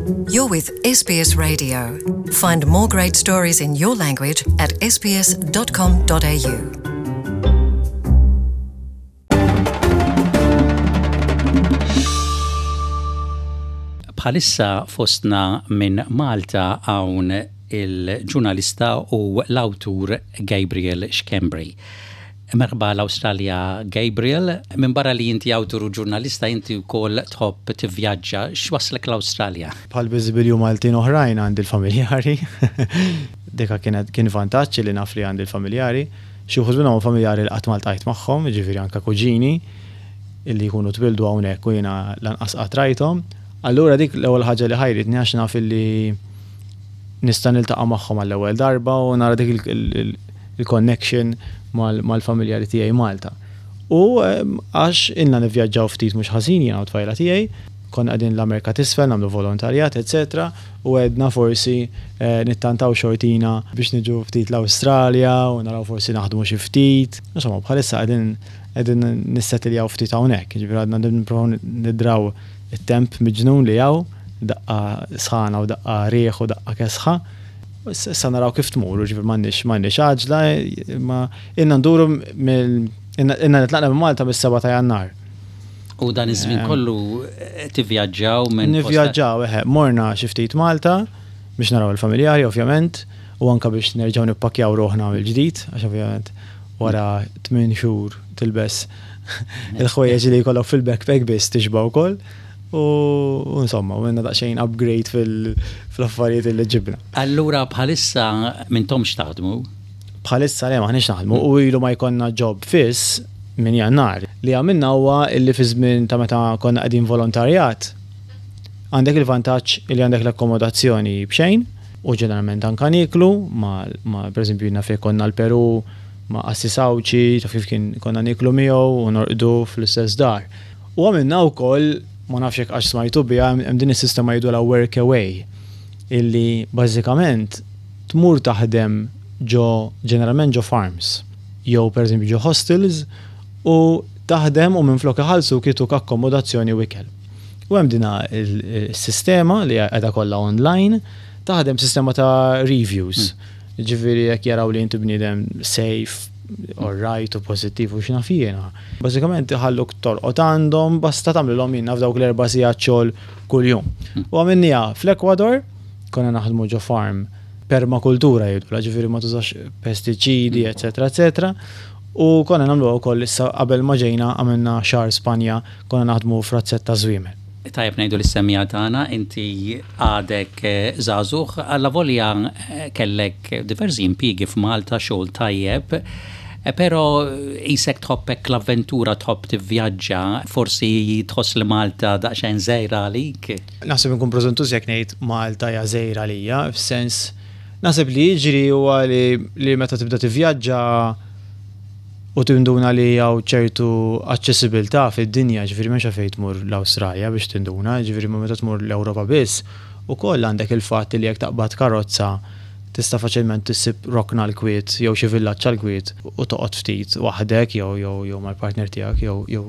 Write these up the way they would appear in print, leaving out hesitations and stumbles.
You're with SBS Radio. Find more great stories in your language at sbs.com.au. Bħalissa fostna minn Malta hawn il-ġurnalista u l-awtur Gabriel Schembri. Merħba l-Awstralja Gabriel, minbarra li inti awtur u ġurnalista inti wkoll tħobb tivvjaġġa, x'wasslek l-Awstralja? Bħal biżibilju Maltin oħrajn għandi l-familjari. Dika kienet kien vantaġġ li naf li għandi l-familjari. Xi wħud minnhom familjari li qatt ma ltqajt magħhom, jiġifieri anke kuġini illi jkunu twieldu hawnhekk u jiena lanqas qatt rajthom. Allura dik l-ewwel ħaġa li ħajritni għax naf illi nista' niltaqa' magħhom għall-ewwel darba u nara dik il-connection mal-familjari tiegħi Malta. U għax ilna nivvjaġġaw ftit mhux ħażin jiena u t-tfajla tiegħi, konna qegħdin l-Amerika t'Isfel nagħmlu volontarjat eċċetera u għedna forsi nittantaw xortina biex niġu ftit l-Awstralja u naraw forsi naħdmu xi ftit. Insomma bħalissa qegħdin qegħdin nissetiljaw ftit hawnhekk, jiġifieri għadna nipprovaw nidraw it-temp miġnun li hawn, daqqa sħana u daqqa riħ u daqqa kesħa. Issa naraw kif tmur, ġifieri m'għandniex m'għandniex għaġla, imma ilna nduru mill ilna nitlaqna minn Malta mis-7 ta' Jannar. U dan iż-żmien eh, kollu eh, tivvjaġġaw minn Nivvjaġġaw, eħe, morna xi ftit Malta biex naraw il-familjari ovvjament u anka biex nerġgħu nippakkjaw ruħna mill-ġdid għax ovvjament wara 8 xhur tilbes il-ħwejjeġ li jkollok fil-backpack biss tixba' wkoll. U insomma, u għandna daqsxejn upgrade fil-affarijiet li ġibna. Allura bħalissa mintomx taħdmu? Bħalissa le maħniex naħdmu u ilu ma jkollna job fiss minn Jannar. Li għamilna huwa illi fi żmien ta' meta konna qegħdin volontarjat, għandek il-vantaġġ li għandek l-akkomodazzjoni b'xejn u ġeneralment anka nieklu ma, ma pereżempju jiena fejn konna l-Peru ma' qassis Għawdxi, taf kif kien konna nieklu miegħu u norqdu fl-istess dar. U għamilna wkoll, ma nafx jekk għax smajtu biha, hemm din is-sistema jgħidulha work away, illi bażikament tmur taħdem ġo ġeneralment ġo farms jew pereżempju ġo hostels u taħdem u minflok iħallsuk jtuk akkomodazzjoni u ikel. U hemm dina s-sistema li qiegħda kollha online, taħdem sistema ta' reviews. Ġifieri jekk jaraw li inti bniedem safe, all right u pożittiv u x'naf jiena. Bażikament iħalluk torqod għandhom basta tagħmlilhom jien naf dawk l-erba' sigħat xogħol kuljum. U għamilniha fl-Ekwador, konna naħdmu ġo farm permakultura jgħidulha, ġifieri ma tużax pestiċidi, eċetera, eċetera. U konna nagħmluha wkoll issa qabel ma ġejna għamilna xahar Spanja konna naħdmu f'razzett ta' żwiemel. Tajjeb ngħidu lis-semmiegħa tagħna inti għadek żagħżugħ, allavolja kellek diversi impjiegi f'Malta, xogħol tajjeb, però qisek tħobb hekk l-avventura, tħobb tivvjaġġa, forsi tħoss li Malta daqsxejn żgħira għalik? Naħseb inkun preżuntuż jekk ngħid Malta hija żgħira għalija, fis-sens naħseb li jiġri huwa li meta tibda tivvjaġġa u tinduna li hawn ċertu aċċessibilità fid-dinja, ġifieri m'hemmx għalfejn tmur l-Awstralja biex tinduna, ġifieri ma meta tmur l-Ewropa biss, ukoll għandek il-fatt li jekk taqbad karozza tista' faċilment issib rokna għall-kwiet jew xi villaġġ għall-kwiet u toqgħod ftit waħdek jew jew jew mal-partner tiegħek jew jew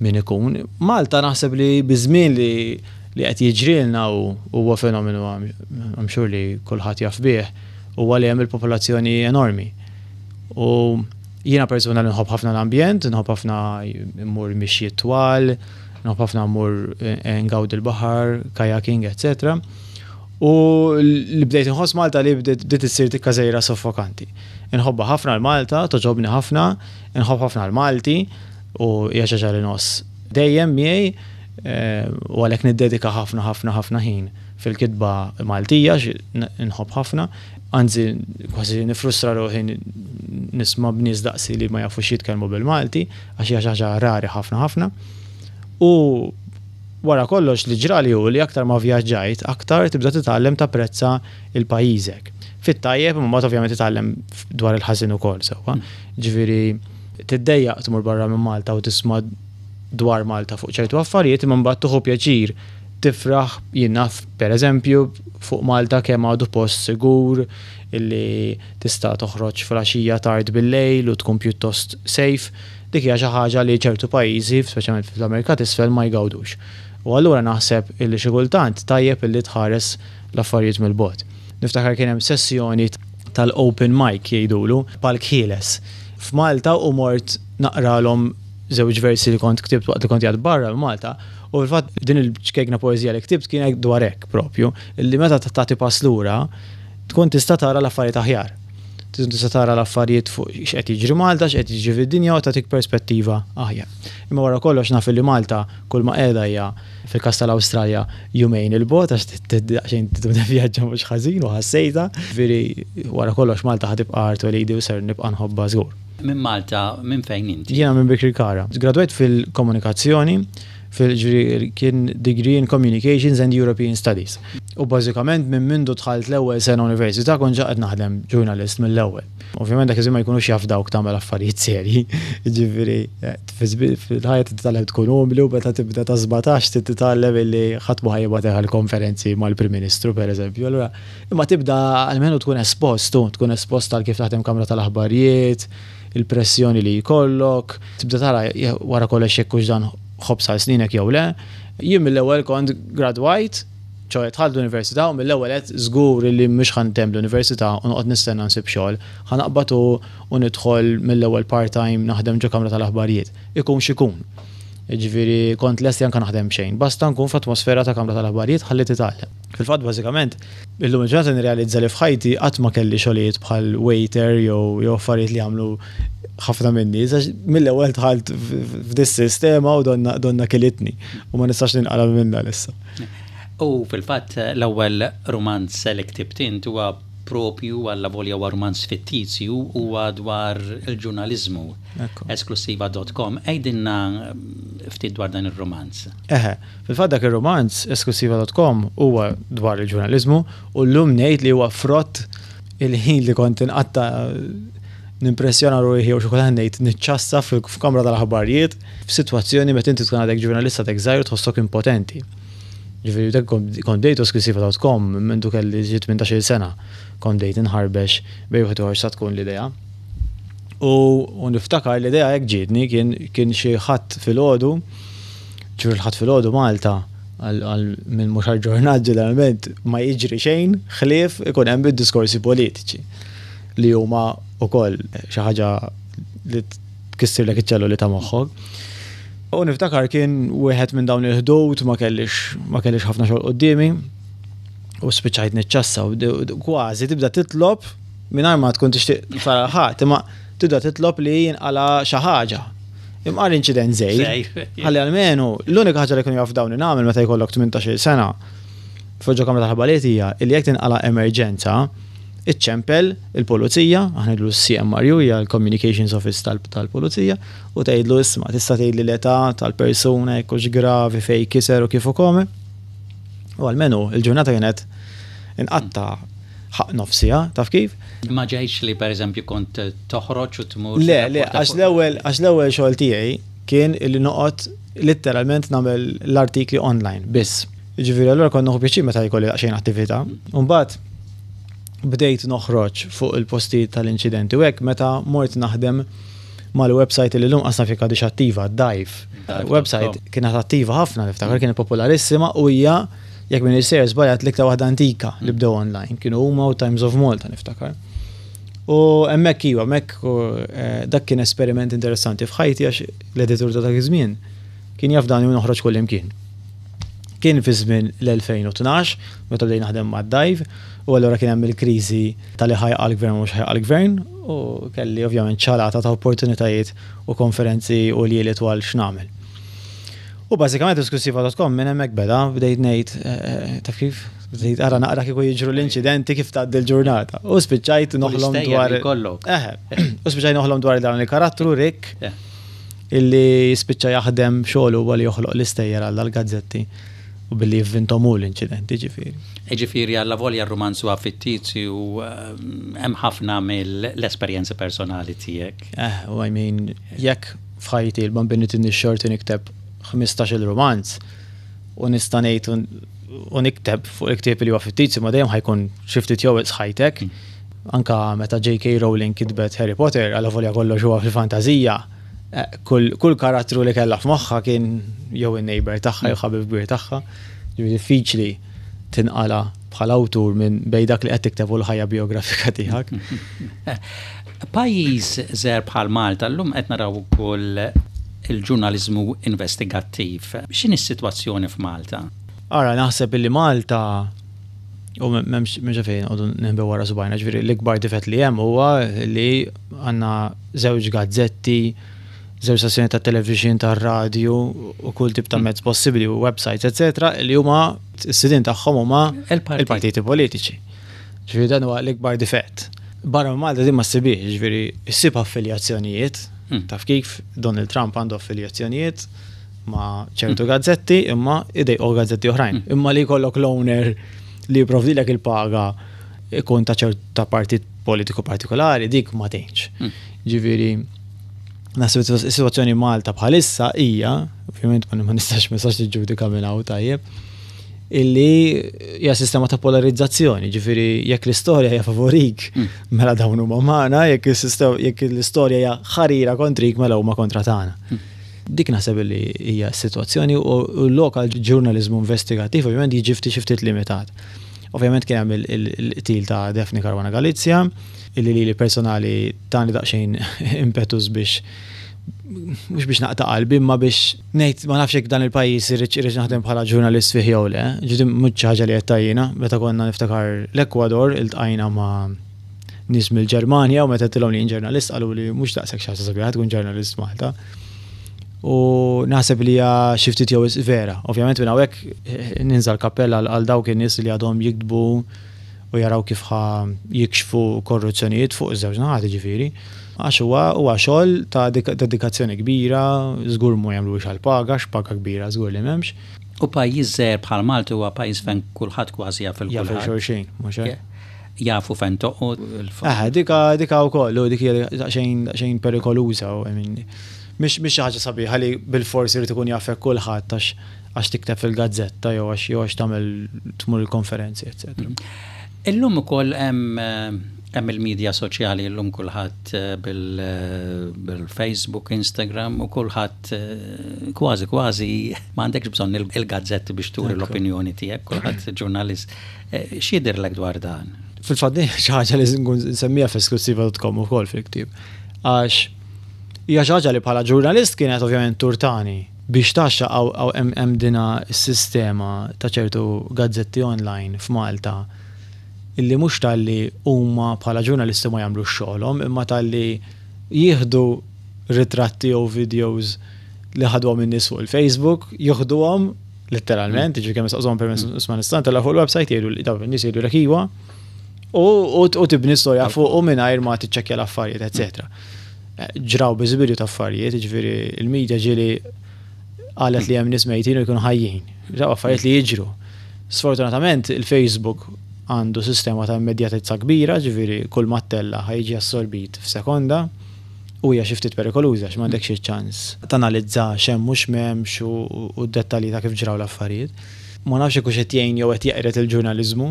min ikun. Malta naħseb li biż-żmien li li qed jiġrilna u huwa fenomenu I'm sure li kulħadd jaf bih, huwa li hemm il-popolazzjoni enormi. U jiena persuna li nħobb ħafna l-ambjent, nħobb ħafna mmur mixjiet twal, nħobb ħafna mmur eh, ngawdi l-baħar, kajaking, etc. U li bdejt inħoss Malta li bdiet issir tikka żgħira soffokanti. Inħobbha ħafna l-Malta, toġobni ħafna, inħobb ħafna l-Malti u hija xi ħaġa li ngħożż dejjem miegħi eh, u għalhekk niddedika ħafna ħafna ħafna ħin fil-kitba Maltija, nħobb ħafna. Anzi, kważi nifrustra ruħi nisma' b'nies daqsi li ma jafux jitkellmu bil-Malti, għax hija xi ħaġa rari ħafna ħafna. U wara kollox li ġrali hu li aktar ma vjaġġajt, aktar tibda titgħallem tapprezza il-pajjiżek. Fit-tajjeb, imma mbagħad ovvjament titgħallem dwar il-ħażin ukoll sewwa. Ġifieri tiddejjaq tmur barra minn Malta u tisma' dwar Malta fuq ċertu affarijiet, imma mbagħad tieħu pjaċir tifraħ, jien naf per eżempju fuq Malta kemm għadu post sigur illi tista' toħroġ filgħaxija tard bil-lejl u tkun pjuttost safe. Dik hija xi ħaġa li ċertu pajjiżi, speċjalment fl-Amerika t'Isfel, ma jgawdux. U allura naħseb illi xi kultant tajjeb illi tħares l-affarijiet mill-bogħod. Niftakar kien hemm sessjoni tal-open mic jgħidulu, palk ħieles, f'Malta u mort naqralhom żewġ versi li kont ktibt waqt li kont qiegħed barra minn Malta u fil-fatt din il-ċkejkna poeżija li ktibt kienet dwar hekk propju, illi meta tagħti pass lura tkun tista' tara l-affarijiet aħjar. Tkun tista' tara l-affarijiet fuq x'qed jiġri Malta, x'qed jiġri fid-dinja u tagħtik perspettiva aħjar. Imma wara kollox naf illi Malta kull ma qiegħda hija fil-każ tal-Awstralja jumejn 'il bogħod għax daqsxejn tivvjaġġa mhux ħażin u ħassejtha. Ġifieri wara kollox Malta ħa tibqa' art twelidi u ser nibqa' nħobbha żgur. Minn Malta, minn fejn inti? Jiena minn Birkirkara. Gradwajt fil-komunikazzjoni, fil kien degree in Communications and European Studies. U bażikament minn mindu dħalt l-ewwel sena università kont ġa qed naħdem ġurnalist mill-ewwel. Ovvjament dak iż-żmien ma jkunux jafdawk tagħmel affarijiet serji. Jiġifieri fil-ħajja trid titgħallem tkun umli u meta tibda ta' 17 trid titgħallem illi ħadd ma ħa jibgħatek għal konferenzi mal-Prim Ministru pereżempju. Allura imma tibda almenu tkun espost, tkun espost għal kif taħdem kamra tal-aħbarijiet, il-pressjoni li jkollok, tibda tara wara kollox jekk hux dan ħobż għal sninek jew le. Jien mill-ewwel kont gradwajt, ċoe dħalt l-università u mill-ewwel għedt żgur li mhux ħa ntemm l-università u noqgħod nistenna nsib xogħol, ħa naqbad u u nidħol mill-ewwel part-time naħdem ġo kamra tal-aħbarijiet, ikun x'ikun. Jiġifieri kont lest li anke naħdem b'xejn, basta nkun f'atmosfera ta' kamra tal-aħbarijiet ħalli titgħallem. Fil-fatt bażikament, illum il-ġurnata nirrealizza li f'ħajti qatt ma kelli xogħlijiet bħal waiter jew jew affarijiet li jagħmlu ħafna min-nies għax mill-ewwel dħalt f'dis-sistema u donna donna kilitni u ma nistax ninqala' minnha issa. U fil-fatt l-ewwel rumanz li ktibt int huwa propju allavolja huwa rumanz fittizju huwa dwar il-ġurnaliżmu. Esklussiva dot com. Għidilna ftit dwar dan ir-rumanz. Eħe, fil-fatt dak ir-rumanz, Esklussiva dot com, huwa dwar il-ġurnaliżmu u llum ngħid li huwa frott il-ħin li kont inqatta' nimpressjona ruħi jew xi kultant ngħid niċċassa f'kamra tal-aħbarijiet f'sitwazzjoni meta inti tkun għadek ġurnalista għadek żgħir u tħossok impotenti. Ġifieri dak kont bdejtu esklussiva dot com minn mindu kelli xi 18-il sena kont bdejt inħarbex bejn wieħed u ieħor sa tkun l-idea. U niftakar l-idea hekk ġietni kien kien xi ħadd filgħodu, ġifieri l-Ħadd filgħodu Malta għal min mhux aġġornat ġeneralment ma jiġri xejn ħlief ikun hemm id-diskorsi politiċi li huma wkoll xi ħaġa li tkissirlek iċ-ċelluli ta' moħħok. U niftakar kien wieħed minn dawn il-ħdud ma kellix ma kellix ħafna xogħol quddiemi u spiċċajt niċċassa u kważi tibda titlob mingħajr ma tkun tixtieq tara ħadd, imma tibda titlob li jinqala xi ħaġa. Imqar inċident żgħir. Ħalli almenu l-unika ħaġa li kienu jaf dawn nagħmel meta jkollok 18-il sena f'ġo kamra tal-ħabaliet hija li jekk tinqala emerġenza, iċċempel il-pulizija, aħna ngħidlu l-CMRU hija l-Communications Office tal-Pulizija, u tgħidlu isma' tista' tgħidli l-età tal-persuna jekk hux gravi fejn kiser u kif u kome. U almenu il-ġurnata kienet inqatta' ħaqq nofs siegħa, taf kif? Ma ġejtx li pereżempju kont toħroġ u tmur. Le, le, għax l-ewwel għax l-ewwel xogħol tiegħi kien illi noqgħod litteralment nagħmel l-artikli online biss. Jiġifieri allura kont nieħu pjaċir meta jkolli daqsxejn attività. U mbagħad bdejt noħroġ fuq il-postijiet tal-inċidenti u hekk meta mort naħdem mal-website li llum qas naf jekk għadhiex attiva, Dive. Website kienet attiva ħafna niftakar, kienet popolarissima u hija Jekk m'iniex sejjer żbaljat l-iktar waħda antika li bdew online kienu huma u Times of Malta niftakar. U hemmhekk iva, hemmhekk eh, dak kien esperiment interessanti f'ħajti għax l-editur ta' dak iż-żmien kien jaf dan u noħroġ kull imkien. Kien fi żmien l-2012 meta bdejn naħdem mad-dive u allura kien hemm il-kriżi tal-li ħajqa l-gvern u mhux ħajqa l-gvern u kelli ovvjament ċalata ta' opportunitajiet u konferenzi u ljieli twal x'nagħmel. U bażikament esklusiva.com minn hemmhekk beda, bdejt ngħid, eh, eh, taf kif? Bdejt ara naqra kieku jiġru l-inċidenti kif tgħaddi l-ġurnata. U spiċċajt noħlom dwar. Eħe, u spiċċajt noħlom dwar dan il-karattru Rick illi spiċċa jaħdem xogħlu huwa li joħloq l-istejjer għal dal-gazzetti u billi jivvintom hu l-inċidenti ġifieri. Ġifieri alla volja r-rumanz huwa fittizju eh, hemm ħafna mill-esperjenza personali tiegħek. Eh, u I mean, jekk F'ħajti l-Bambini tinni x-xorti nikteb 15-il rumanz u nista' ngħid u nikteb fuq il-ktieb li huwa fittizju ma dejjem ħajkun xi ftit jew wisq ħajtek. Anka meta J.K. Rowling kitbet Harry Potter, allavolja kollox huwa fil-fantażija, eh, kull karattru li kellha f'moħħha kien jew in-neighbor tagħha jew ħabib kbir tagħha. Ġifieri diffiċli tinqala bħala awtur minn bejn dak li qed tikteb u l-ħajja bijografika tiegħek. Pajjiż żgħir bħal Malta llum qed naraw ukoll il-ġurnaliżmu investigattiv. X'inhi s-sitwazzjoni f'Malta? Ara, naħseb illi Malta u m'hemmx għalfejn noqogħdu ninħbew wara subgħajna, ġifieri l-ikbar difett li hemm huwa li għandna żewġ gazzetti, żewġ stazzjoni ta' television, ta' radju u kull tip ta' mezz possibbli u websites, eccetera, li huma s-sidien tagħhom huma il-partiti politiċi. Ġifieri dan huwa l-ikbar difett. Barra minn Malta din ma ssibhiex, ġifieri ssib affiljazzjonijiet, hmm. taf kif Donald Trump għandu affiljazzjonijiet ma' ċertu gazzetti imma idejqu gazzetti oħrajn. Hmm. Imma li jkollok l-owner li jipprovdilek il-paga ikun ta' ċerta partit politiku partikolari, dik ma tgħinx. Hmm. Ġifieri, naħseb is-sitwazzjoni Malta bħalissa hija, ovvjament ma nistax ma nistax niġġudika minn hawn tajjeb, illi hija sistema ta' polarizzazzjoni, ġifieri jekk l-istorja hija favorik, hmm. mela dawn huma magħna, jekk jekk l-istorja hija ħarira kontrik mela huma kontra tagħna. Hmm. Dik naħseb li hija s-sitwazzjoni u l-lokal ġurnaliżmu investigattiv ovvjament jiġi ftit xi ftit limitat. Ovvjament kien hemm il-qtil ta' Daphne Caruana Galizia, illi lili personali tani daqsxejn impetus biex mhux biex naqta' qalbi imma biex ngħid ma nafx jekk dan il-pajjiż irridx irridx naħdem bħala ġurnalist fih jew le. Ġifieri mhux xi ħaġa li għedtha jiena, meta konna niftakar l-Ekwador iltqajna ma' nies mill-Ġermanja u meta għedtilhom li jien ġurnalist qaluli mhux daqshekk xi ħaġa sabiħa tkun ġurnalist Malta. U naħseb li hija xi ftit jew vera. Ovvjament minn hawnhekk eh, ninża l-kappell għal dawk in-nies li għadhom jiktbu u jaraw kif ħa jikxfu korruzzjonijiet fuq iż-żewġ naħat jiġifieri. Għax huwa huwa xogħol ta' dedikazzjoni kbira, żgur mhu jagħmluhiex għall-paga, għax paga kbira żgur li m'hemmx. U pajjiż żgħir bħal Malta huwa pajjiż fejn kulħadd kważi jaf il kulħadd. Jaf il xulxin, mhux hekk? Jafu fejn toqgħod. Eħe, dika dika wkoll, u dik hija daqsxejn daqsxejn perikoluża u I mean mhix mhix xi ħaġa sabiħa li bilfors irid ikun jafek kulħadd għax għax tikteb fil-gazzetta jew għax jew għax tagħmel tmur il-konferenzi, eċċetera. Illum ukoll hemm hemm il-medja soċjali illum kulħadd eh, bil-Facebook, Instagram u kulħadd eh, kważi kważi m'għandekx bżonn il-gazzetti biex turi l-opinjoni tiegħek, kulħadd ġurnalist. Eh, x'jidhirlek dwar dan? Fil-fatt din xi ħaġa li nkun nsemmija f'esklusiva.com ukoll fil-ktieb. Għax hija xi ħaġa li bħala ġurnalist kienet ovvjament turtani Biex tgħaxxaq hawn hemm dina s-sistema ta' ċertu gazzetti online f'Malta illi mhux talli huma bħala ġurnalisti ma jagħmlux xogħolhom imma talli jieħdu ritratti jew videos li ħaduhom in-nies fuq il-Facebook, joħduhom letteralment, jiġifieri kemm jistaqsuhom permess isma' nista' ntella' fuq il-website jgħidu li dawn in-nies jgħidulek iwa u tibni storja fuqu mingħajr ma tiċċekkja l-affarijiet, eċetera. Ġraw biżibilju ta' affarijiet, jiġifieri il-media ġieli qalet li hemm nies mejtin u jkunu ħajjin. Ġraw affarijiet li jiġru. Sfortunatament il-Facebook għandu sistema ta' immedjatezza kbira, ġifieri kull ma ttella' ħa jiġi assorbit f'sekonda u hija xi ftit perikoluża għax m'għandekx iċ-ċans tanalizza x'hemm u x'm'hemmx u d-dettalji ta' kif ġraw l-affarijiet. Ma nafx jekk hux qed jgħin jew qed jeqred il-ġurnaliżmu.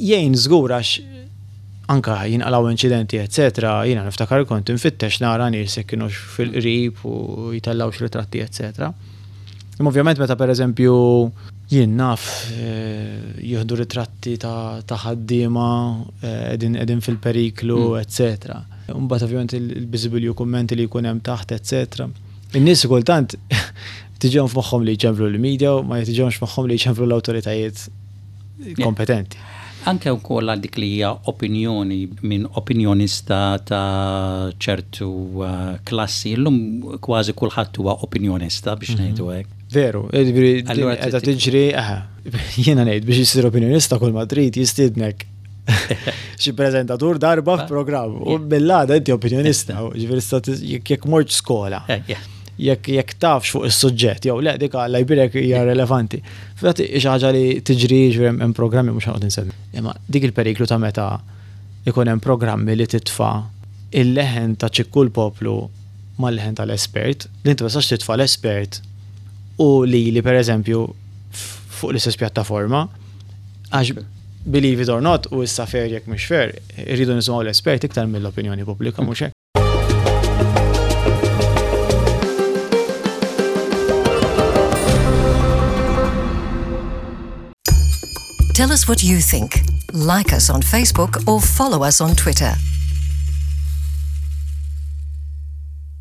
Jgħin żgur għax anke jinqalgħu inċidenti eċċetera, jiena niftakar kont infittex nara nies jekk kinux fil-qrib u jtellgħux ritratti eċċetera. Imma ovvjament meta pereżempju jien naf eh, jieħdu ritratti ta' ħaddiema eh, qegħdin fil-periklu mm. eċċetera. Mbagħad ovvjament il-biżibilju kummenti li jkun hemm taħt eċċetera. In-nies kultant tiġihom f'moħħhom li jċemplu l-media u ma tiġihomx f'moħħhom li jċemplu l-awtoritajiet kompetenti. Anke wkoll għal dik li hija opinjoni minn opinjonista ta' ċertu uh, klassi, illum kważi kulħadd huwa opinjonista biex mhm. ngħidu hekk. Veru, jiġifieri qiegħda tiġri, jiena ngħid biex jisir opinjonista kull ma trid jistiednek xi preżentatur darba f'programm u mill-għada inti opinjonista, ġifieri jekk mort skola. Eh, jekk jekk tafx fuq is-suġġett jew le dik Alla jbirek hija relevanti. Fil-fatt xi ħaġa li tiġri ġifieri hemm programmi mhux ħanoqgħod insemmi. Imma dik il-periklu ta' meta ikun hemm programmi li titfa' il-leħen ta' ċikku l-poplu mal-leħen tal-espert, li inti ma tistax titfa' l-espert u lili pereżempju fuq l-istess pjattaforma għax believe it or not u issa fair jekk mhux fair, irridu nisimgħu l-espert iktar mill-opinjoni pubblika mhux hekk. Tell us what you think. Like us on Facebook or follow us on Twitter.